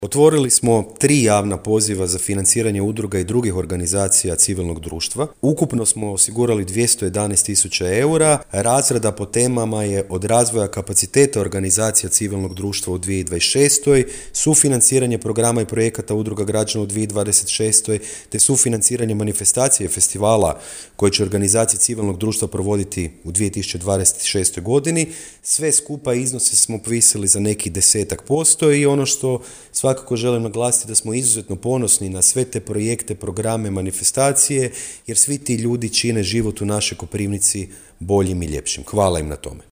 Otvorili smo 3 javna poziva za financiranje udruga i drugih organizacija civilnog društva. Ukupno smo osigurali 211.000 eura. Razrada po temama je od razvoja kapaciteta organizacija civilnog društva u 2026. sufinanciranje programa i projekata udruga građana u 2026. te sufinanciranje manifestacije i festivala koje će organizacije civilnog društva provoditi u 2026. godini. Sve skupa iznose smo povisili za neki 10% i ono što svakako želim naglasiti da smo izuzetno ponosni na sve te projekte, programe, manifestacije, jer svi ti ljudi čine život u našoj Koprivnici boljim i ljepšim. Hvala im na tome.